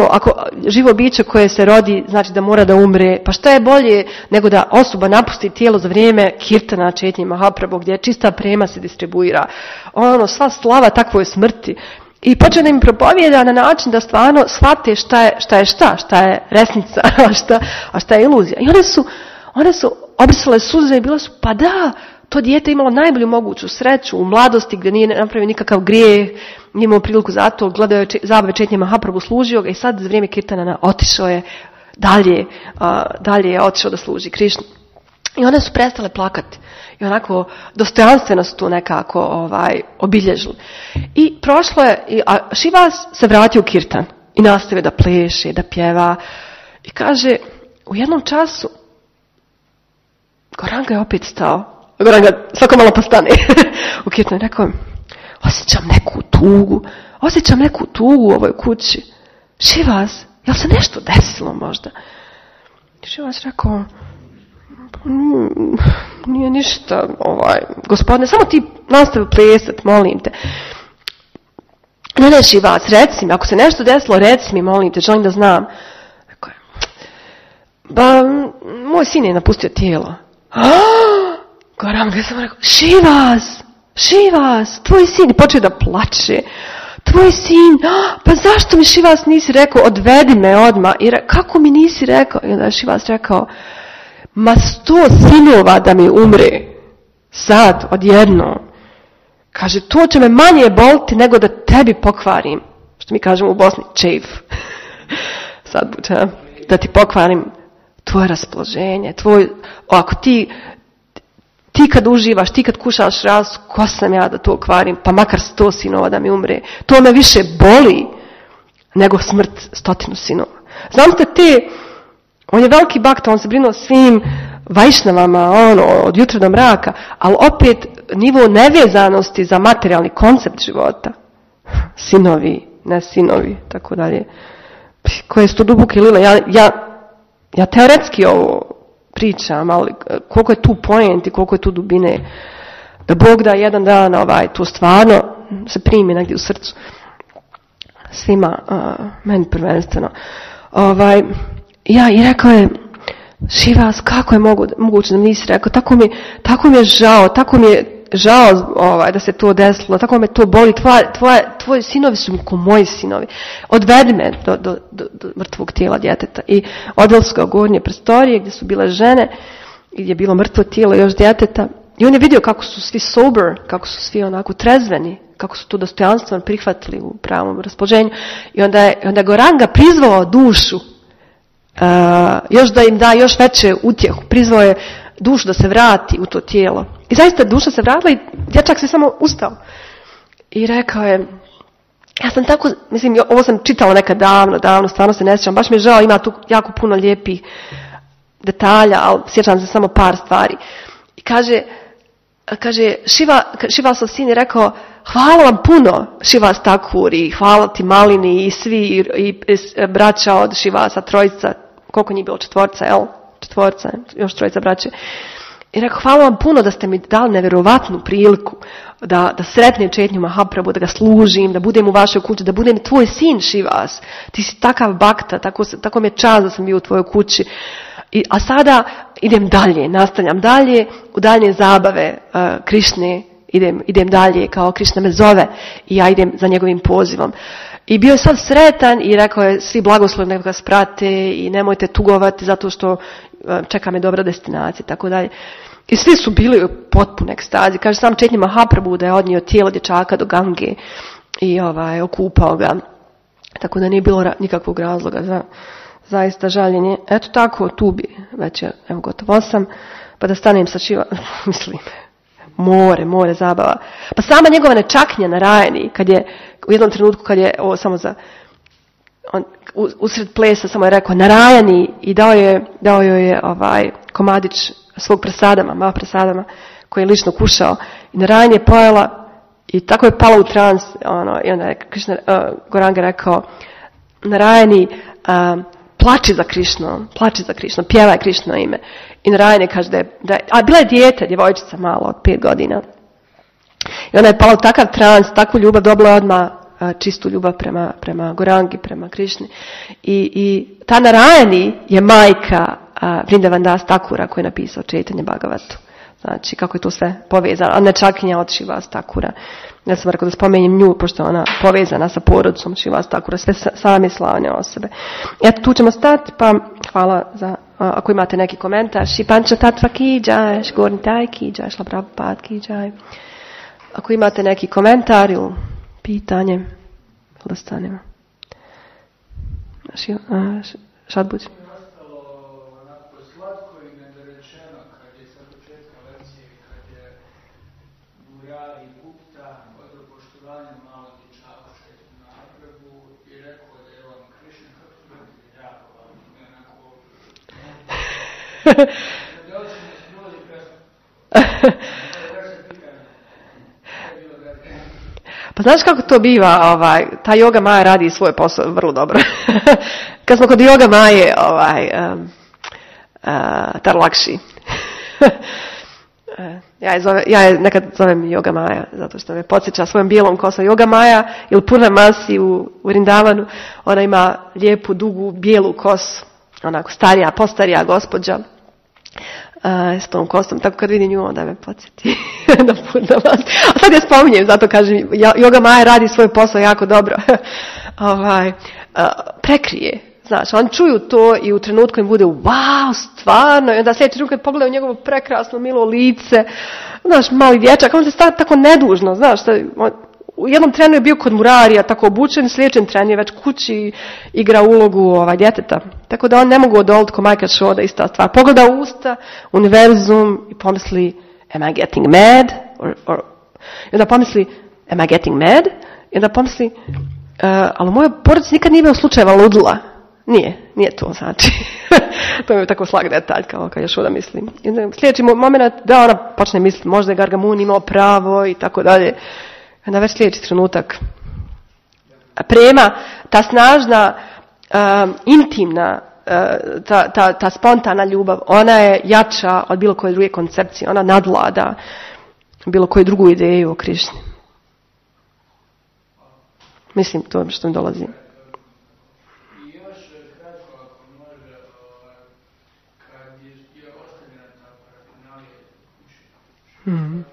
ako živo biće koje se rodi, znači da mora da umre, pa šta je bolje nego da osoba napusti tijelo za vrijeme kirtana Četnji Mahaprabhu, gdje čista prema se distribuira. Sva slava takvoj smrti. I počeo da im propovijeda na način da stvarno shvate šta je resnica, a šta je iluzija. I one su obrisale suze i bile su, pa da, to dijete imalo najbolju moguću sreću u mladosti gdje nije napravio nikakav grijeh, nije imao priliku za to, gledao je zabave Četnje Mahaprabhu, služio ga i sad za vrijeme kirtana otišao je dalje je otišao da služi Krišnu. I one su prestale plakati. I onako dostojanstveno su to nekako obilježili. I prošlo je, a Šivas se vratio u kirtan i nastavio da pleše, da pjeva. I kaže, u jednom času Goranga je opet stao. Goranga svako malo postane u kirtanu i rekao, osjećam neku tugu u ovoj kući. Šivas, jel se nešto desilo možda? I Šivas rekao, nije ništa, gospodine, samo ti nastavi plesat, molim te. Ne, Šivas, reci mi, ako se nešto desilo, reci mi, molim te, želim da znam. Rekao je, moj sin je napustio tijelo. Goranga je samo rekao, Šivas, tvoj sin je počeo da plače. Tvoj sin, pa zašto mi Šivas nisi rekao, odvedi me odmah. Kako mi nisi rekao? I onda je Šivas rekao, 100 sinova da mi umre. Sad, odjedno. Kaže, to će me manje boliti nego da tebi pokvarim. Što mi kažemo u Bosni, čeif. Sad buče, da ti pokvarim tvoje raspoloženje, ako ti kad uživaš, ti kad kušaš raz, ko sam ja da to kvarim, pa makar 100 sinova da mi umre. To me više boli nego smrt 100 sinova. Znam ste on je veliki bakta, on se brinuo svim vajšnavama, od jutra do mraka, ali opet nivo nevezanosti za materijalni koncept života. Sinovi, ne sinovi, tako dalje. Koje su to duboke lile. Ja teoretski ovo pričam, ali koliko je tu point i koliko je tu dubine. Da Bog da jedan dan to stvarno se primi negdje u srcu. Svima, meni prvenstveno. I rekao je, Šivas, kako je moguće da mi nisi rekao, tako mi je žao da se to desilo, tako me to boli, tvoji sinovi su ko moji sinovi. Odvedi me do mrtvog tijela djeteta. I odveli su ga u gornje prostorije gdje su bile žene, gdje je bilo mrtvo tijelo još djeteta. I on je vidio kako su svi sober, kako su svi onako trezveni, kako su to dostojanstveno prihvatili u pravom raspoloženju. I onda je Goranga prizvao dušu, još da im da još veće utjehu. Prizvao je dušu da se vrati u to tijelo. I zaista duša se vratila i dječak se samo ustao. I rekao je, ja sam tako, ovo sam čitala nekad davno, stvarno se ne sjećam, baš mi je žao, ima tu jako puno lijepih detalja, ali sjećam se samo par stvari. I kaže Šivasov sin je rekao, hvala vam puno Šivas Thakur i hvala ti Malini i svi i braća od Šivasa, trojica, koliko njih bilo, četvorca, još trojica braće. I rekao, hvala vam puno da ste mi dali nevjerovatnu priliku da sretnem Chaitanya Mahaprabhu, da ga služim, da budem u vašoj kući, da budem tvoj sin Šivas. Ti si takav bakta, tako mi je čast da sam bio u tvojoj kući. A sada idem dalje, nastavljam dalje, u dalje zabave Krišne, idem dalje kao Krišna me zove i ja idem za njegovim pozivom. I bio je sav sretan i rekao je, svi blagoslovi nek ga sprate i nemojte tugovati zato što čeka me dobra destinacija, tako dalje. I svi su bili u potpunoj ekstazi. Kaže sam Chaitanya Mahaprabhu da je odnio tijelo dječaka do Gange i okupao ga. Tako da nije bilo nikakvog razloga za zaista žaljenje. Eto tako, tu bi već je, evo gotovo sam, pa da stanem sa mislim, more zabava. Pa sama njegova nečaknja na Rajani, kad je u jednom trenutku, kad je, ovo samo za, on usred plesa samo je rekao Narajani i dao joj je komadić svog prasadama, Mahaprasadama, koji je lično kušao. I Narajani je pojela i tako je pala u trans, i onda je Goranga rekao, Narajani, plači za Krišnom, pjevaj Krišno ime. I Narajani kaže a bila je dijete, djevojčica malo od 5 godina. I ona je pala u takav trans, takvu ljubav, dobila je odmah čistu ljubav prema Gorangi, prema Krišni. I ta Narajani je majka Vrindavan Das Thakura koji je napisao Chaitanya Bhagavatu. Znači, kako je to sve povezano. A nečakinja od Šivas Thakura. Ja sam rekao da spomenjem nju, pošto je ona povezana sa porodicom Šivas Thakura, sve same slavne osobe. Eto, tu ćemo stati, pa hvala za, ako imate neki komentar. Šipanča Tatva ki džaj, Šgornitaj ki džaj, Šla Prabhupada ki džaj. Ako imate neki komentar ili pitanje, da stanemo. Šadbuć. Pa znaš kako to biva, ta Yoga Maja radi svoj posao vrlo dobro. Kad smo kod Yoga Maje, Tarlakši. Ja je nekad zovem Yoga Maja, zato što me podsjeća svojom bijelom kosom. Yoga Maja ili Purnamasi u Vrindavanu, ona ima lijepu, dugu, bijelu kosu, onako postarija gospođa, s tom kosom, tako kad vidim nju, onda me podsjeti na Purnamasi. A sad je spominjem, zato kažem, Yoga Maja radi svoj posao jako dobro. Prekrije. Znaš, oni čuju to i u trenutku im bude wow, stvarno, i onda sljedeći trenutak kad pogledaju njegovo prekrasno, milo lice, znaš, mali dječak, on se stavlja tako nedužno, znaš, u jednom trenu je bio kod Murarija, tako obučen, sljedećem trenu je već kući igra ulogu djeteta. Tako da on ne mogu odoliti ko Majka Šoda, ista stvar. Pogleda u usta, univerzum i pomisli, am I getting mad? I onda pomisli, am I getting mad? I onda pomisli, ali u mojoj porodici nikad nije bio slučajeva ludila. Nije to, znači. To je tako slag detalj, kao kad još oda mislim. Sljedeći moment da ona počne misliti, možda je Gargamun imao pravo i tako dalje. Onda već sljedeći trenutak. Prema, ta snažna, intimna, ta spontana ljubav, ona je jača od bilo koje druge koncepcije. Ona nadvlada bilo koju drugu ideju o Krišni. Mislim, to što mi dolazi. Mm-hmm.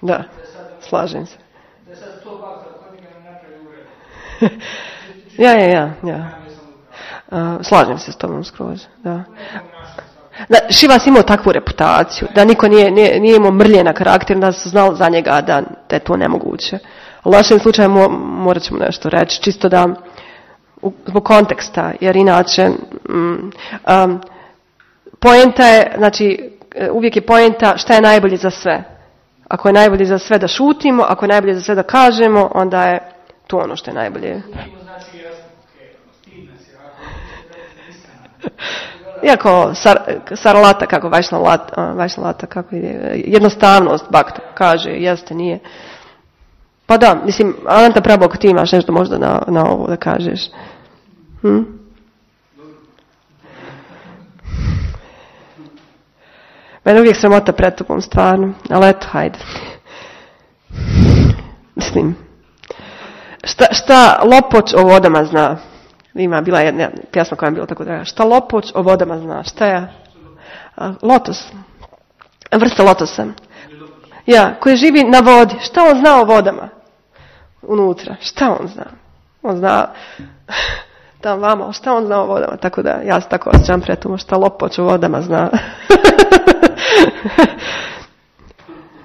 Da, slažem se. Slažem se s tobom skroz, da. Šivas imao takvu reputaciju, da niko nije imao mrljena karakter, da su znali za njega da je to nemoguće. Ali u našem slučaju morat ćemo nešto reći, čisto da, zbog konteksta, jer inače, poenta je, znači, uvijek je poenta šta je najbolje za sve. Ako je najbolje za sve da šutimo, ako je najbolje za sve da kažemo, onda je to ono što je najbolje. Iako sarlata, kako Vajšnalata, kako je, jednostavnost bakta kaže, jeste, nije. Pa da, mislim, Ananta Prabhu, ako ti imaš nešto možda na ovo da kažeš. Mene uvijek sramota pred tobom, stvarno, ali eto, hajde. Mislim, šta lopoč o vodama zna? Bila jedna pjesma koja je bila tako draga. Šta lopoč o vodama zna? Šta je? Lotos. Vrsta lotosa. Ja, koji živi na vodi. Šta on zna o vodama? Unutra. Šta on zna? On zna tam vama, šta on zna o vodama? Tako da, ja se tako osjećam pred tomu. Šta lopoč o vodama zna?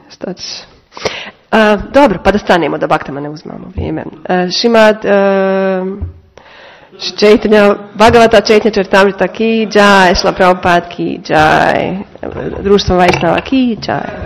Šta ćeš? Dobro, pa da stanemo, da baktama ne uzmamo vrijeme. Šimad Chaitanya Bhagavata Chaitanya Charitamrita ki jai, Śrīla Prabhupāda ki jai, Društvo Vajšnava ki jai.